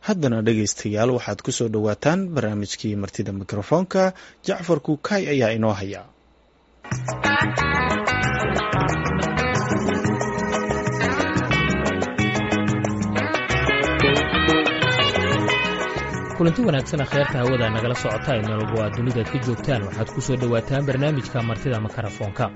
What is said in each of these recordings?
Haddana dhegaystayaal, waxaad ku soo dhowaataan barnaamijkii Martida Mikrofoonka. Jacfar Kuukay ayaa inoo haya. Kulanti wanaagsan, akhyaarta hawada nagala socota ee meel walba aad dunidaad ka joogtaan, waxaad ku soo dhowaataan barnaamijka Martida Makarafoonka.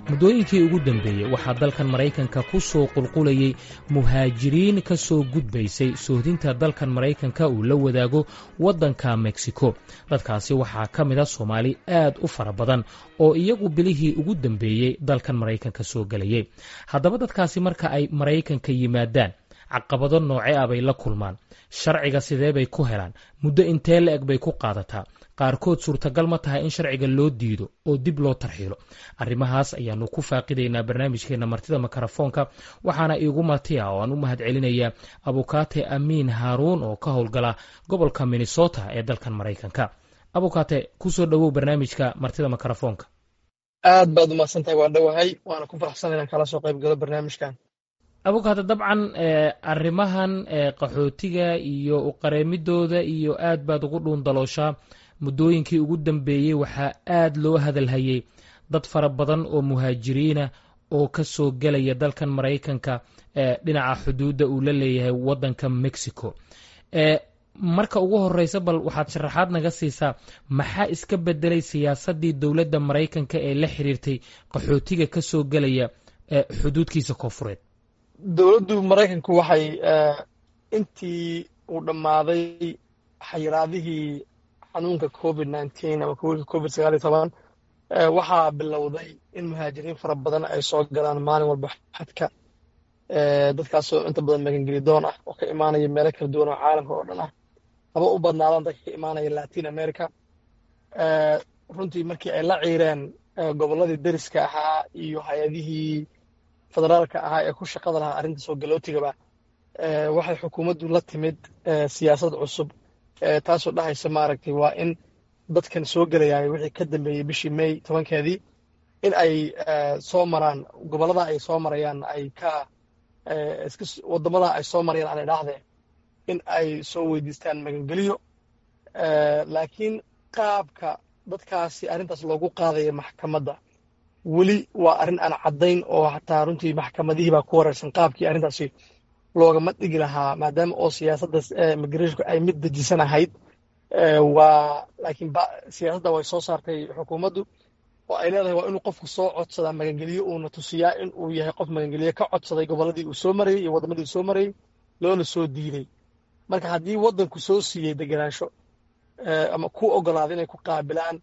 Muddooyinkii ugu dambeeyey waxaa dalkan Maraykanka ku soo qulqulayey muhaajiriin ka soo gudbaysay soohdinta dalkan Maraykanka uu la wadaago waddanka Mexico. Dadkaasi waxaa ka mid a Soomaali aad u fara badan oo iyagu bilihii ugu dambeeyey dalkan Maraykanka soo gelayay. Haddaba dadkaasi marka ay Maraykanka yimaadaan, caqabado nooce ah bay la kulmaan? Sharciga sidee bay ku helaan? Muddo intee la-eg bay ku qaadataa? Qaarkood suurtagal ma tahay in sharciga loo diido oo dib loo tarxiilo? Arrimahaas ayaanu ku faaqidaynaa barnaamijkeena Martida Makarafoonka. Waxaana iigu marti ah oo aan u mahad celinayaa Abukaate Amiin Haaruun oo ka howlgala gobolka Minnesota ee dalkan Maraykanka. Abukaate, kusoo dhowow barnaamijka Martida Makarafoonka. Aad baad umahadsantahay, waan dhowahay, waana ku faraxsan inaan kala soo qayb galo barnaamijkan. Abukaate, dabcan arrimahan qaxootiga iyo uqareemidooda iyo aad baad ugu dhuundalooshaa. Muddooyinkii ugu dambeeyey waxaa aad loo hadalhayey dad fara badan oo muhaajiriina oo ka soo gelaya dalkan Maraykanka dhinaca xuduudda uu la leeyahay waddanka Mexico. Marka ugu horeysa, bal waxaad sharaxaad naga siisaa maxaa iska bedelay siyaasaddii dowladda Maraykanka ee la xiriirtay qaxootiga ka soo gelaya xuduudkiisa koonfureed? Dowladdu Maraykanku waxay intii uu dhammaaday xayiraadihii xanuunka COVID-19 ama COVID-19, waxaa bilowday in muhaajiriin fara badan ay soo galaan maalin walba xadka, dadkaasoo inta badan magangeli doon ah oo ka imaanaya meelo kala duwan oo caalamka oo dhan ah, haba u badnaadaan dadka ka imaanaya Latin America. Runtii markii ay la ciireen gobolladii deriska ahaa iyo hay-adihii federaalka ahaa ee ku shaqada lahaa arrinta soo galootigaba, waxay xukuumaddu la timid siyaasad cusub, taasoo dhahaysa, maaragtay, waa in dadkan soo gelayaay wixii ka dambeeyey bishii May 10-keedii in ay soo maraan gobollada ay soo marayaan, ay ka iska waddamada ay soo marayaan aan idhaahdee, in ay soo weydiistaan magangeliyo. Laakiin qaabka dadkaasi arrintaas loogu qaadaya maxkamadda weli waa arrin aan caddayn, oo xataa runtii maxkamadihii baa ku wareersan qaabkii arrintaasi loogama dhigi lahaa, maadaama oo siyaasadda immigrationku ay mid dejisan ahayd. Waa laakiin siyaasadda way soo saartay xukuumaddu oo ay leedahay waa inuu qofku soo codsadaa magangeliyo, uuna tusiyaa in uu yahay qof magangeliyo ka codsaday gobolladii uu soo marayey iyo waddamadii uu soo marayey, loona soo diiday. Marka haddii waddanku soo siiyey degenaansho ama ku ogolaaday inay ku qaabilaan,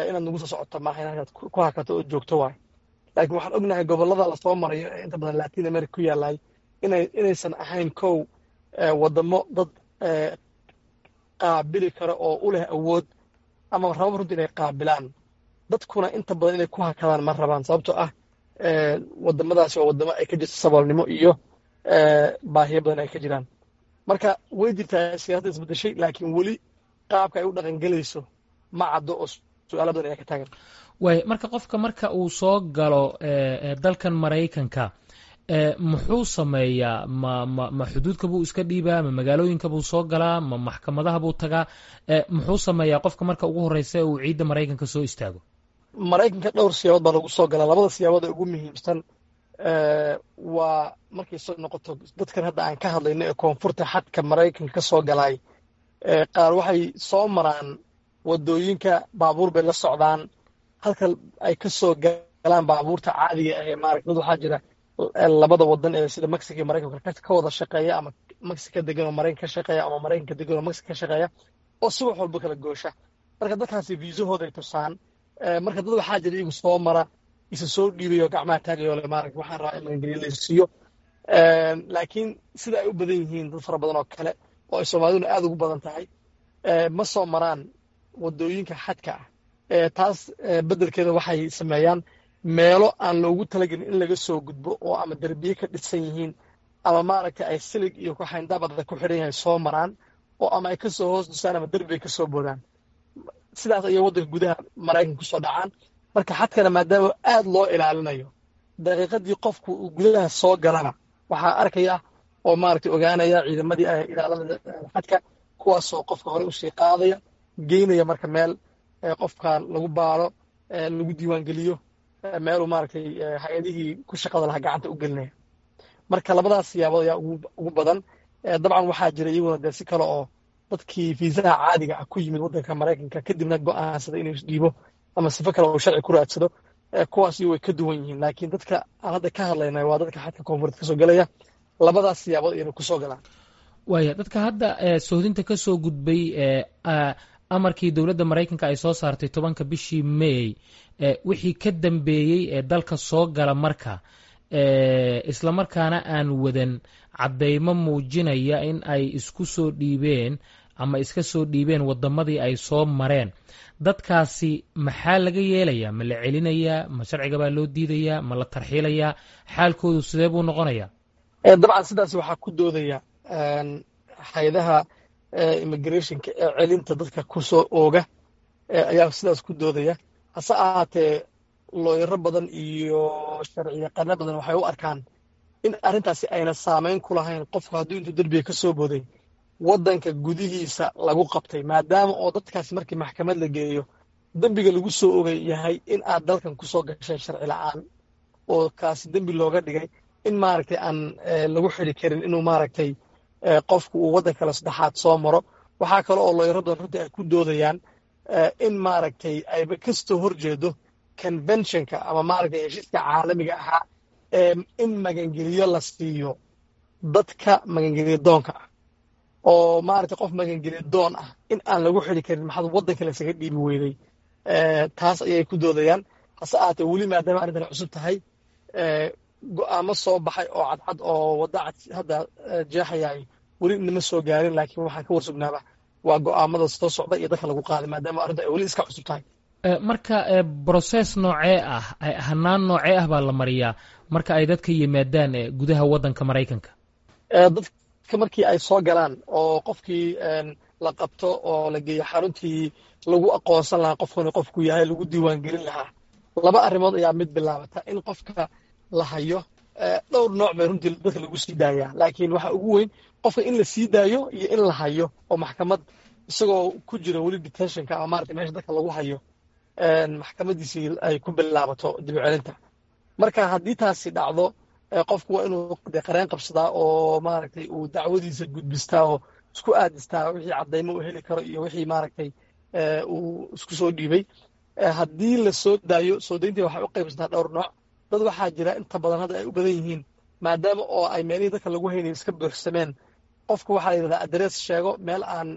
inaad nagu soo socoto maaha, in halkaad ku hakato oo joogto waay. Laakiin waxaan ognahay gobollada lasoo marayo ee inta badan Latin America ku yaallay inaysan ahayn kow waddamo dad qaabili kara oo u leh awood ama rababa runtii inay qaabilaan. Dadkuna inta badan inay ku hakadaan ma rabaan, sababtoo ah waddamadaasi waa waddamo ay ka jirto saboolnimo iyo baahiyo badan ay ka jiraan. Marka way jirtaa siyaasadda isbedeshay, laakiin weli qaabka ay u dhaqangelayso ma caddo oo su-aalo badan ayaa ka taagan. Waay, marka qofka marka uu soo galo dalkan Maraykanka muxuu sameeyaa? Ma xuduudka buu iska dhiibaa? Ma magaalooyinka buu soo galaa? Ma maxkamadaha buu tagaa? Muxuu sameeyaa qofka marka ugu horeysa uu ciidda Maraykanka soo istaago? Maraykanka dhowr siyaabood baa lagu soo galaa. Labada siyaabood ee ugu muhiimsan waa markay soo noqoto dadkan hadda aan ka hadlayno ee koonfurta xadka Maraykanka ka soo galaay, qaar waxay soo maraan waddooyinka, baabuur bay la socdaan halka ay ka soo galaan baabuurta caadiga ah ee maaragta. Dad waxaa jira labada wadan ee sida Mexico iyo Maraykanka ka wada shaqeeya, ama Mexico degan oo Maraykanka ka shaqeeya, ama Maraykanka degan oo Mexico ka shaqeeya, oo subax walba kala goosha. Marka dadkaasi viisahooday tusaan. Marka dad waxaa jira iyagu soo mara, isa soo dhiibayo, gacmaha taagayo le, maaragta, waxaan rabaa in magangeliyo la siiyo. Laakiin sida ay u badan yihiin dad fara badan oo kale oo ay Soomaaliduna aad ugu badan tahay ma soo maraan waddooyinka xadka ah. Taas beddelkeeda waxay sameeyaan meelo aan loogu talagelin in laga soo gudbo oo ama derbiye ka dhisan yihiin ama, maaragtay, ay silig iyo kuxayndaab adag ku xidhan yahay soo maraan, oo ama ay kasoo hoos dusaan ama derbi ay kasoo boodaan. Sidaas ayay waddanka gudaha Maraykanka kusoo dhacaan. Marka xadkana maadaama aad loo ilaalinayo, daqiiqadii qofku uu gudaha soo galana waxaa arkaya Oo maaragtay ogaanaya ciidamadii ilaalada xadka, kuwaasoo qofka hore usii qaadaya, geynaya marka meel qofkan lagu baaro, lagu diiwaangeliyo, meeluu maaragtay hay-adihii ku shaqada lahaa gacanta u gelinaya. Marka labadaas siyaabood ayaa ugu badan. Dabcan waxaa jira iyaguna dee si kale oo dadkii fiisaha caadiga ah ku yimid waddanka Maraykanka, kadibna go'aansaday inuu isdhiibo ama sifo kale oo sharci ku raadsado. Kuwaasi way ka duwan yihiin, laakiin dadka aan hadda ka hadlaynay waa dadka xadka koonfureed kasoo gelaya. Labadaas siyaabood ayayna kusoo galaan. Waaya, dadka hadda sohdinta ka soo gudbay amarkii dowladda Maraykanka ay soo saartay 10-ka bishii May wixii ka dambeeyey ee dalka soo gala marka, islamarkaana aan wadan caddaymo muujinaya in ay isku soo dhiibeen ama iska soo dhiibeen waddamadii ay soo mareen, dadkaasi maxaa laga yeelayaa? Ma la celinayaa? Ma sharciga baa loo diidayaa? Ma la tarxiilayaa? Xaalkoodu sidee buu noqonayaa? Dabcan sidaas waxaa ku doodaya hay-adaha immigrationka ee celinta dadka ku soo ooga ayaa sidaas ku doodaya. Hase ahaatee, looyaro badan iyo sharciyaqaano badan waxay u arkaan in arrintaasi ayna saameyn ku lahayn qofku hadduu intuu derbiga ka soo booday waddanka gudihiisa lagu qabtay, maadaama oo dadkaasi markii maxkamad la geeyo dembiga lagu soo ogay yahay in aad dalkan ku soo gashay sharci la'aan, oo kaasi dembi looga dhigay in maaragtay aan lagu xidi karin inuu maaragtay qofku uu waddan kale saddexaad soo maro. Waxaa kale oo looyaro badan runtii ay ku doodayaan in maaragtay ayba kasoo horjeedo conventionka ama maaragtay heshiiska caalamiga ahaa ee in magangeliyo la siiyo dadka magangeliyo doonka ah, oo maaragtay qof magangeliyo doon ah in aan lagu xidi karin maxaad waddan kale isaga dhiibi weyday. Taas ayay ku doodayaan. Hase ahaatee, weli maadaama arrintan cusub tahay, go'aamo soo baxay oo cadcad oo wadda cad hadda jeexayaay weli inama soo gaarin, laakiin waxaan ka warsugnaaba waa go'aamada soo socda iyo dadka lagu qaaday, maadaama arrinta ay weli iska cusub tahay. Marka process noocee ah, hanaan noocee ah baa la mariyaa marka ay dadka yimaadaan gudaha waddanka Maraykanka? Dadka markii ay soo galaan oo qofkii la qabto oo la geeyo xaruntii lagu aqoonsan lahaa qofkani qofku yahay, lagu diiwaangelin lahaa, laba arrimood ayaa mid bilaabata in qofka la hayo. Dhowr nooc bay runtii dadka lagu sii daayaa, laakiin waxa ugu weyn qofka in la sii daayo iyo in la hayo oo maxkamad isagoo ku jira weli detentionka ama maarata meesha dadka lagu hayo maxkamadiisii ay ku bilaabato dib u celinta. Marka haddii taasi dhacdo, qofku waa inuu de qareen qabsadaa oo maaragtay uu dacwadiisa gudbistaa oo isku aadistaa wixii caddaymo uu heli karo iyo wixii maaragtay uu isku soo dhiibay. Haddii la soo daayo, soo dayntii waxay u qaybsantaa dhowr nooc. Dad waxaa jira inta badan hadda ay u badan yihiin, maadaama oo ay meelihii dadka lagu haynayo iska buuxsameen, qofka waxaa la yidhahdaa address sheego, meel aan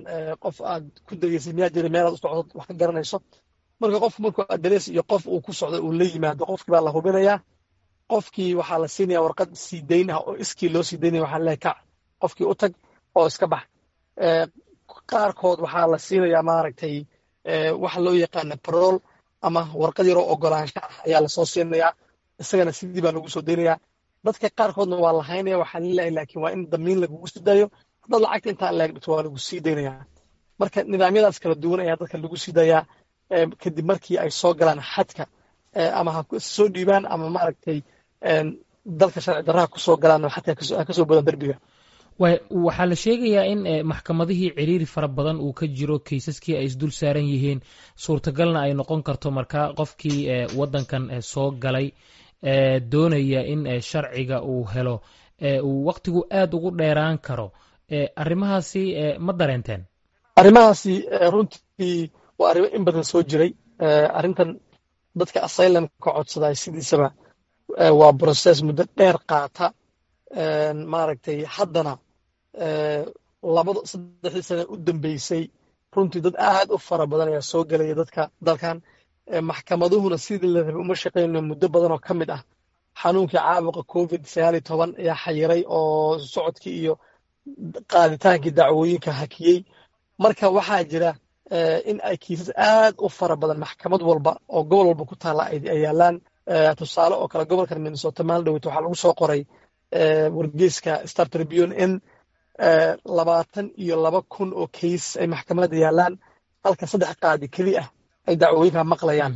qof aad ku degeysay miyaa jira, meel aad u socdo wax ka garanayso. Marka qofku markuu address iyo qof uu ku socdo uu la yimaado, qofkii baa la hubinayaa. Qofkii waxaa la siinaya warqad sii dayn ah oo iskii loo sii daynaya. Waxaa leeyahay kac, qofkii u tag oo iska bax. Qaarkood waxaa la siinayaa maaragtay waxa loo yaqaana parole ama warqad yaroo ogolaansho ah ayaa lasoo siinayaa, isagana sidii baa lagu soo daynayaa. Dadka qaarkoodna waa la haynaya, waxaa laleeyahay laakiin waa in damiin lagugu sii daayo, haddaad lacagta intaa leeg dhigto waa lagu sii daynayaa. Marka nidaamyadaas kala duwan ayaa dadka lagu sii daayaa kadib markii ay soo galaan xadka, ama ha soo dhiibaan ama maaragtay dalka sharci darraha ku soo galaan oo xadka ha kasoo bodaan derbiga. Waxaa la sheegayaa in maxkamadihii ciriiri fara badan uu ka jiro, kaysaskii ay isdul saaran yihiin, suurtagalna ay noqon karto marka qofkii waddankan soo galay doonaya in sharciga uu helo uu waqtigu aad ugu dheeraan karo. Arrimahaasi ma dareenteen? Arrimahaasi runtii waa arrimo in badan soo jiray. Arrintan dadka asylumka codsaday sidiisaba waa process muddo dheer qaata. Maaragtay haddana 2-3dii sana u dambeysay runtii dad aad u fara badan ayaa soo gelaya dadka dalkan, maxkamaduhuna sidii la rabay uma shaqeyno. Muddo badan oo ka mid ah xanuunkii caabuqa COVID-19 ayaa xayiray oo socodkii iyo qaaditaankii dacwooyinka hakiyey. Marka waxaa jira in ay kiisas aad u fara badan maxkamad walba oo gobol walba ku taalla ay yaalaan. Tusaale oo kale, gobolkan Minnesota maalin dhoweyta waxaa lagu soo qoray wargeyska Star Tribune in 22,000 oo case ay maxkamadda yaalaan, halka saddex qaadi keli ah ay dacwooyinka maqlayaan.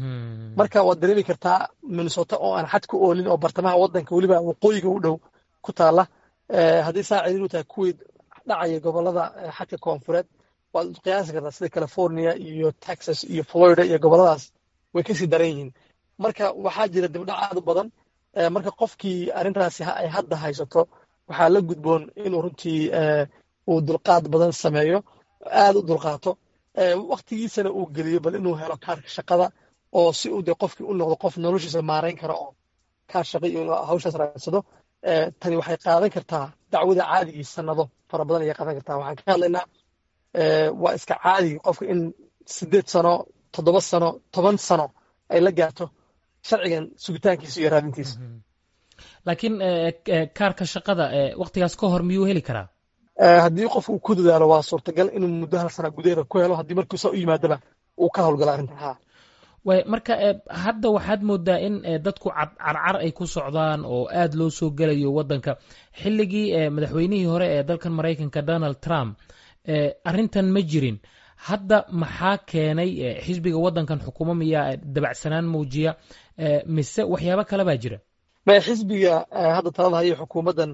Marka waad dareemi kartaa Minnesota oo aan xad ku oolin oo bartamaha waddanka, weliba waqooyiga u dhow ku taalla. Haddii saa ciriiri u tahay kuwii dhacaya gobolada xadka koonfureed, waad qiyaasi kartaa sida California iyo Texas iyo Florida iyo goboladaas way kasii daran yihiin. Marka waxaa jira dibdhac aad u badan. Marka qofkii arrintaasi ay hadda haysato, waxaa la gudboon inuu runtii uu dulqaad badan sameeyo, aad u dulqaato, waktigiisana uu geliyo bal inuu helo kaarka shaqada, oo si uu de qofkii u noqdo qof noloshiisa maarayn kara oo kaar shaqa iyo inuu hawshaas raadsado. Tani waxay qaadan kartaa, dacwada caadigii, sanado fara badan ayay qaadan kartaa. Waxaan ka hadlaynaa waa iska caadi qofka in 8 sano, 7 sano, 10 sano ay la gaarto sharcigan sugitaankiisa iyo raadintiisa. Laakiin kaarka shaqada waktigaas ka hor miyuu heli karaa? Haddii qofku uu ku dadaalo, waa suurtagal inuu muddo hal sana gudaheeda ku helo, haddii markuu saa u yimaadaba uu ka howlgalo arrintan, ha. Way marka hadda waxaad moodaa in dadku carcar ay ku socdaan oo aad loo soo gelayo waddanka. Xilligii madaxweynihii hore ee dalkan Maraykanka, Donald Trump, arrintan ma jirin. Hadda maxaa keenay? Xisbiga waddankan xukumo miyaa dabacsanaan muujiya, mise waxyaabo kale baa jira? Maya, xisbiga hadda talada hayo, xukuumaddan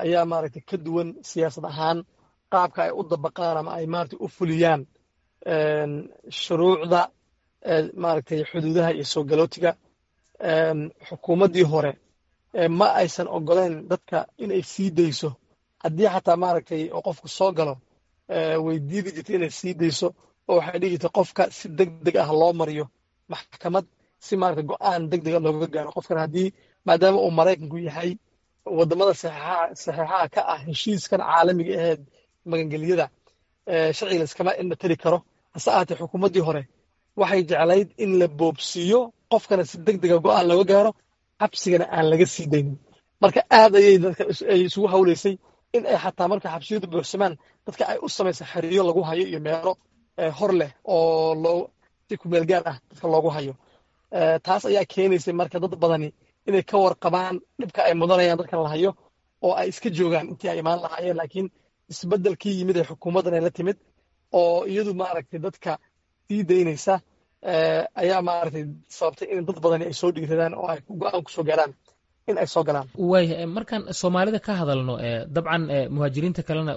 ayaa maaragtay ka duwan siyaasad ahaan qaabka ay u dabaqaan ama ay maaragtay u fuliyaan shuruucda maaragtay xuduudaha iyo soo galootiga. Xukuumaddii hore ma aysan ogoleen dadka inay sii dayso. Haddii xataa maaragtay oo qofku soo galo, way diidi jirtay inay sii dayso, oo waxay dhihi jirtay qofka si deg deg ah loo mariyo maxkamad, si maaragtay go'aan deg dega looga gaaro qofkan, haddii maadaama uu Maraykanku yahay waddamada saxeexaha ka ah heshiiskan caalamiga aheed magangelyada, sharciga la iskama indhatiri karo. Hase ahaatee, xukuumaddii hore waxay jeclayd in la boobsiiyo qofkana, si deg dega go'aan looga gaaro, xabsigana aan laga sii daynin. Marka aad ayay dadka ay isugu hawlaysay in ay xataa marka xabsiyadu buuxsamaan dadka ay u samaysa xeriyo lagu hayo iyo meelo hor leh oo loo si kumeel gaar ah dadka loogu hayo. Taas ayaa keenaysay marka dad badani inay ka warqabaan dhibka ay mudanayaan dadkan la hayo oo ay iska joogaan intii ay imaan lahaayeen. Laakiin isbeddelkii yimid ee xukuumaddan ay la timid, oo iyadu maaragtay dadka sii daynaysa, ayaa maaragtay sababtay in dad badani ay soo dhiiradaan oo ay go'aan kusoo gaaraan in ay soo galaan. Waaya, markaan Soomaalida ka hadalno, dabcan muhaajiriinta kalena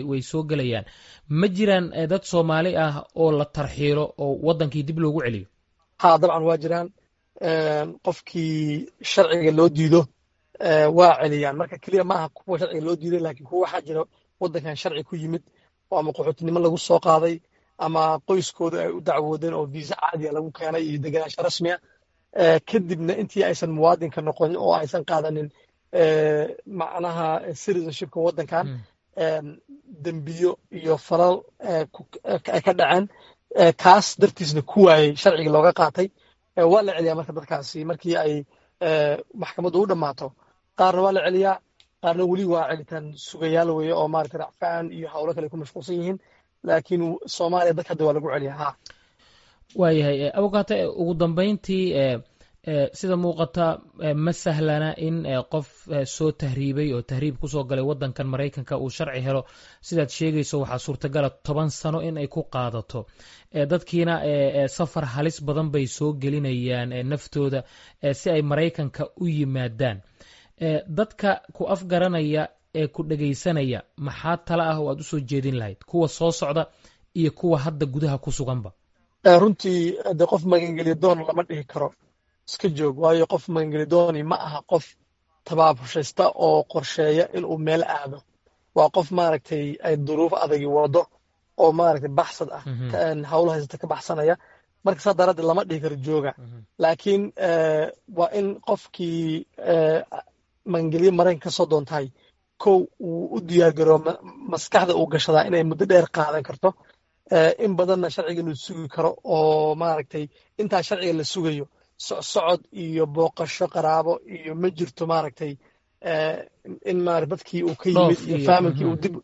way soo gelayaan. Ma jiraan dad Soomaali ah oo la tarxiilo oo waddankii dib loogu celiyo? Ha, dabcan waa jiraan. Qofkii sharciga loo diido waa celiyaan. Marka keliya maaha kuwa sharciga loo diiday, laakiin kuwa waxaa jira waddankan sharci ku yimid oo ama qaxootinimo lagu soo qaaday ama qoyskooda ay u dacwoodeen oo viisa caadiya lagu keenay iyo degenaansho rasmiya, kadibna intii aysan muwaadinka noqonin oo aysan qaadanin macnaha citizenshipka waddankan, dembiyo iyo falal ay ka dhaceen, kaas dartiisna ku waayey sharciga looga qaatay, waa la celiyaa. Marka dadkaasi markii ay maxkamaddu u dhammaato, qaarna waa la celiyaa, qaarna weli waa celitaan sugayaal weeye oo maaragtay racfaan iyo howlo kale ku mashquulsan yihiin. Laakiin Soomaaliya dadka hadda waa lagu celiyaa, ha. Waayahay, abukaate, ugu dambayntii, sida muuqata ma sahlana in qof soo tahriibay oo tahriib kusoo galay waddankan Maraykanka uu sharci helo. Sidaad sheegayso, waxaa suurtagala 10 sano in ay ku qaadato. Dadkiina safar halis badan bay soo gelinayaan naftooda si ay Maraykanka u yimaadaan. Dadka ku afgaranaya ee ku dhegaysanaya, maxaa tala ah oo aad usoo jeedin lahayd, kuwa soo socda iyo kuwa hadda gudaha ku suganba? Runtii de qof magangeliya doon lama dhihi karo iska joog, waayo qof magangeli dooni ma aha qof tabaabushaysta oo qorsheeya inuu meel aado. Waa qof maaragtay ay duruuf adagi wado oo maaragtay baxsad ah, hawlo haysata ka baxsanaya. Marka saa daraaddeed lama dhihi karo jooga. Laakiin waa in qofkii magangelyo Maraykan ka soo doontahay, kow, uu u diyaargaroo, maskaxda uu gashadaa inay muddo dheer qaadan karto, in badanna sharciga la sugi karo, oo maaragtay intaa sharciga la sugayo socsocod iyo booqasho qaraabo iyo ma jirto, maaragtay in maara dadkii uu ka yimid iyo faamilkii uu dib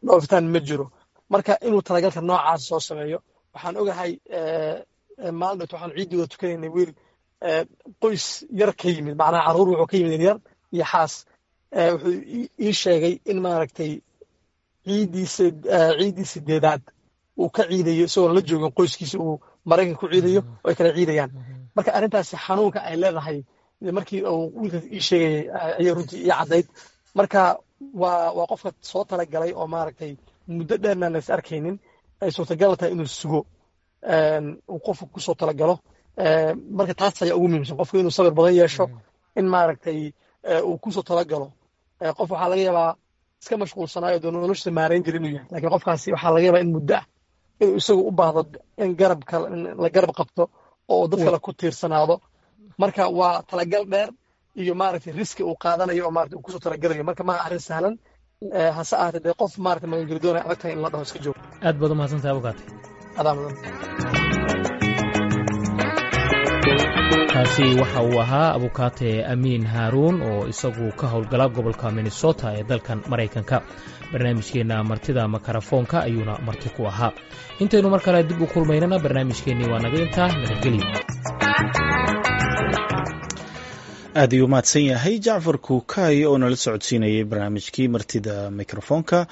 dhoofitaan ma jiro. Marka inuu talagalka noocaas soo sameeyo. Waxaan ogahay maalin dhowt waxaan ciiddii wada tukanaynay wiil qoys yar ka yimid, macnaha carruur wuxuu ka yimid yar iyo xaas. Wuxuu ii sheegay in maaragtay ciiddiisa, ciiddii sideedaad uu ka ciidayo isagoon la joogin qoyskiisa, uu Maraykan ku ciidayo oo ay kala ciidayaan. Marka arrintaasi xanuunka ay leedahay markii uu wiilkaas ii sheegayay ayay runtii ii caddayd. Marka Waa qofka soo talagalay oo maaragtay muddo dheerna la is arkaynin, ay suurtagal tahay inuu sugo, uu qofku kusoo talagalo. Marka taas ayaa ugu muhiimsan, qofku inuu sabir badan yeesho, in maaragtay uu kusoo talagalo. Qof waxaa laga yaabaa iska mashquulsanaayo dee noloshiisa maarayn jira inuu yahay, lakiin qofkaasi waxaa laga yaabaa in muddo ah inuu isagu u baahdo in garabka la garab qabto oo dad kale ku tiirsanaado. Marka waa talagal dheer iyo maaragtay riski uu qaadanayo oo maaragtay uu kusoo talagalayo. Marka maaha arrin sahlan, hase ahaatee dee qof maaragtay magangeli doonaya adag tahay in la dhaho iska joog. Aad baad umahadsantahay, abukaate. Adaa mudan. Kaasi waxa uu ahaa abukaate Amiin Haaruun oo isagu ka howlgala gobolka Minnesota ee dalkan Maraykanka. Barnaamijkeenna martida makarafoonka ayuuna marti ku ahaa. Intaynu mar kale dib u kulmaynana, barnaamijkeennii waa naga intaa. Nabadgelyo. Aad ayuu mahadsan yahay Jacfar Kuukay oo nala socodsiinayay barnaamijkii martida mikrofoonka.